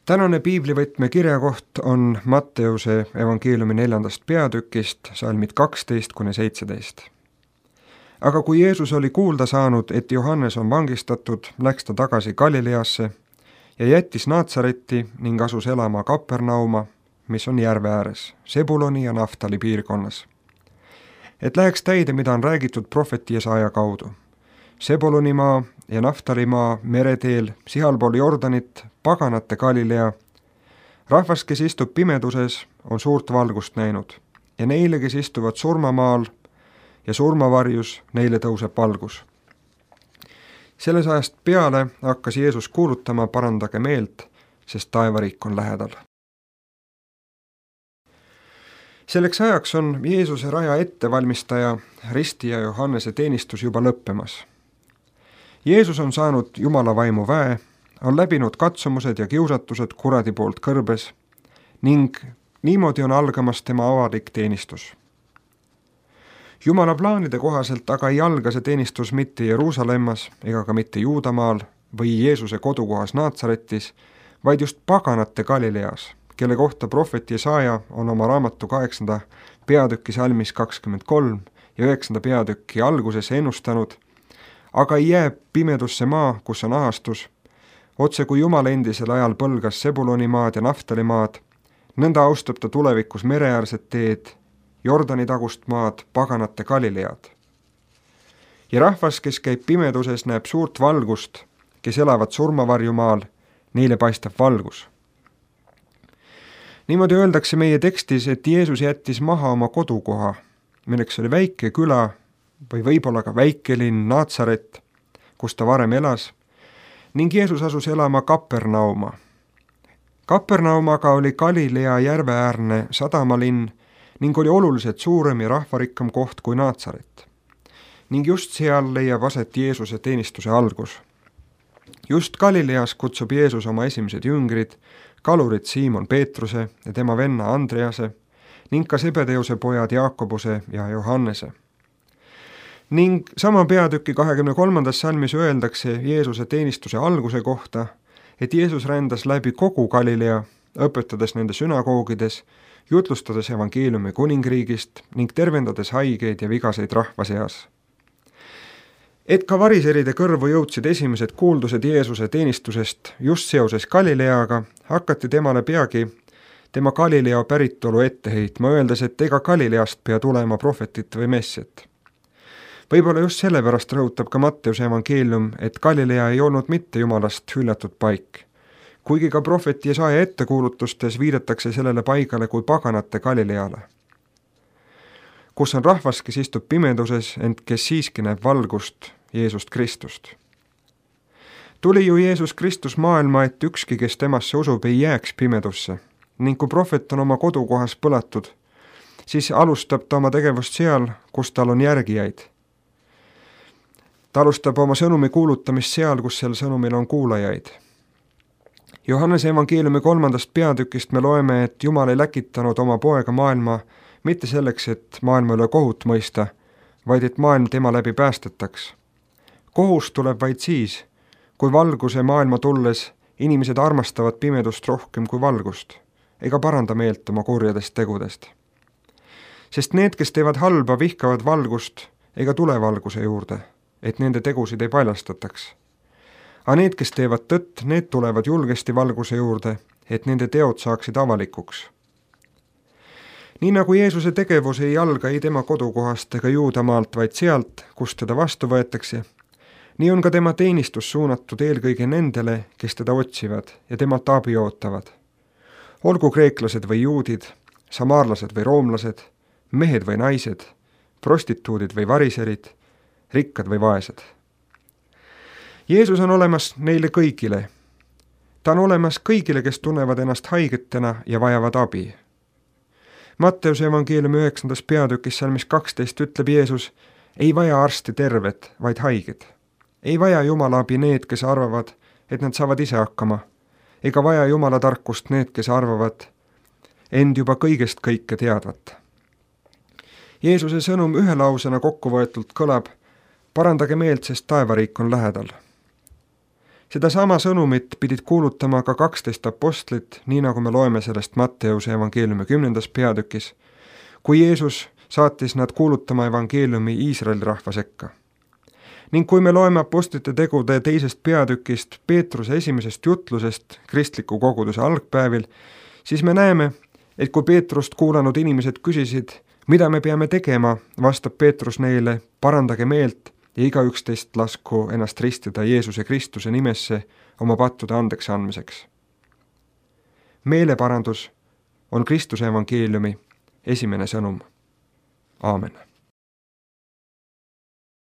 Tänane piiblivõtme kirjakoht on Matteuse evangeeliumi 4. peatükist, salmid 12–17. Aga kui Jeesus oli kuulda saanud, et Johannes on vangistatud, läks ta tagasi Galileasse ja jättis Naatsaretti ning asus elama Kapernauma, mis on järve ääres, Sebuloni ja Naftali piirkonnas. Et läheks täide, mida on räägitud prohveti Jesaja kaudu. Sebulonimaa ja Naftalimaa mereteel, sihalpool Jordanit, paganate Galilea. Rahvas, kes istub pimeduses, on suurt valgust näinud ja neile, kes istuvad surmamaal ja surmavarjus, neile tõuseb valgus. Selles ajast peale hakkas Jeesus kuulutama: parandage meelt, sest taevariik on lähedal. Selleks ajaks on Jeesuse raja ettevalmistaja ristija Johannese teenistus juba lõppemas. Jeesus on saanud Jumala vaimu väe, on läbinud katsumused ja kiusatused kuradi poolt kõrbes ning niimoodi on algamas tema avalik teenistus. Jumala plaanide kohaselt aga ei alga see teenistus mitte Jeruusalemmas ega ka mitte Juudamaal või Jeesuse kodukohas Naatsaretis, vaid just paganate Galileas, kelle kohta prohvet Jesaja on oma raamatu 8. peatüki salmis 23 ja 9. peatüki alguses ennustanud, aga ei jää pimedusse maa, kus on ahastus, otse kui Jumal endisel ajal põlgas Sebulonimaad ja Naftalimaad, nõnda austab ta tulevikus mereäärset teed, Jordani tagust maad, paganate Galilead. Ja rahvas, kes käib pimeduses, näeb suurt valgust, kes elavad surmavarjumaal, neile paistab valgus. Niimoodi öeldakse meie tekstis, et Jeesus jättis maha oma kodukoha, milleks oli väike küla või võib-olla ka väikelinn Naatsaret, kus ta varem elas, ning Jeesus asus elama Kapernauma. Kapernaumaga oli Galilea järveäärne sadamalinn ning oli oluliselt suurem ja rahvarikkam koht kui Naatsaret. Ning just seal leiab aset Jeesuse teenistuse algus. Just Galileas kutsub Jeesus oma esimesed jüngrid, kalurid Siimon Peetruse ja tema venna Andrease ning ka Sebedeuse pojad Jaakobuse ja Johannese. Ning sama peatüki 23. salmis öeldakse Jeesuse teenistuse alguse kohta, et Jeesus rändas läbi kogu Galilea, õpetades nende sünagoogides, jutlustades evangeeliumi kuningriigist ning tervendades haigeid ja vigaseid rahva seas. Et ka variseride kõrvu jõudsid esimesed kuuldused Jeesuse teenistusest just seoses Galileaga, hakati temale peagi tema Galilea päritolu ette heitma, öeldes, et ega Galileast pea tulema prohvetit või messiat. Võib-olla just sellepärast rõhutab ka Matteuse evangeelium, et Galilea ei olnud mitte Jumalast hüljatud paik. Kuigi ka prohvet Jesaja ettekuulutustes viidatakse sellele paigale kui paganate Galileale, kus on rahvas, kes istub pimeduses, ent kes siiski näeb valgust, Jeesust Kristust. Tuli ju Jeesus Kristus maailma, et ükski, kes temasse usub, ei jääks pimedusse, ning kui prohvet on oma kodukohas põlatud, siis alustab ta oma tegevust seal, kus tal on järgijaid. Ta alustab oma sõnumi kuulutamist seal, kus sel sõnumil on kuulajaid. Johannese evangeeliumi 3. peatükist me loeme, et Jumal ei läkitanud oma poega maailma mitte selleks, et maailma üle kohut mõista, vaid et maailm tema läbi päästetaks. Kohus tuleb vaid siis, kui valguse maailma tulles inimesed armastavad pimedust rohkem kui valgust, ega paranda meelt oma kurjadest tegudest. Sest need, kes teevad halba, vihkavad valgust ega tule valguse juurde, et nende tegusid ei paljastataks. Aga need, kes teevad tõtt, need tulevad julgesti valguse juurde, et nende teod saaksid avalikuks. Nii nagu Jeesuse tegevus ei alga ei tema kodukohast ega Juudamaalt, vaid sealt, kust teda vastu võetakse, nii on ka tema teenistus suunatud eelkõige nendele, kes teda otsivad ja temalt abi ootavad. Olgu kreeklased või juudid, samaarlased või roomlased, mehed või naised, prostituudid või variserid, rikkad või vaesed. Jeesus on olemas neile kõigile. Ta on olemas kõigile, kes tunnevad ennast haigetena ja vajavad abi. Matteuse evangeeliumi 9. peatükis salmis 12 ütleb Jeesus, ei vaja arsti terved, vaid haiged. Ei vaja Jumala abi need, kes arvavad, et nad saavad ise hakkama, ega vaja Jumala tarkust need, kes arvavad end juba kõigest kõike teadvat. Jeesuse sõnum ühe lausena kokkuvõetult kõlab: parandage meelt, sest taevariik on lähedal. Seda sama sõnumit pidid kuulutama ka 12 apostlit, nii nagu me loeme sellest Matteuse evangeeliumi 10. peatükis, kui Jeesus saatis nad kuulutama evangeeliumi Iisraeli rahva sekka. Ning kui me loeme apostlite tegude 2. peatükist Peetruse esimesest jutlusest kristliku koguduse algpäevil, siis me näeme, et kui Peetrust kuulanud inimesed küsisid, mida me peame tegema, vastab Peetrus neile, parandage meelt ja igaüks teist lasku ennast ristida Jeesuse Kristuse nimesse oma pattude andeks andmiseks. Meeleparandus on Kristuse evangeeliumi esimene sõnum. Aamen.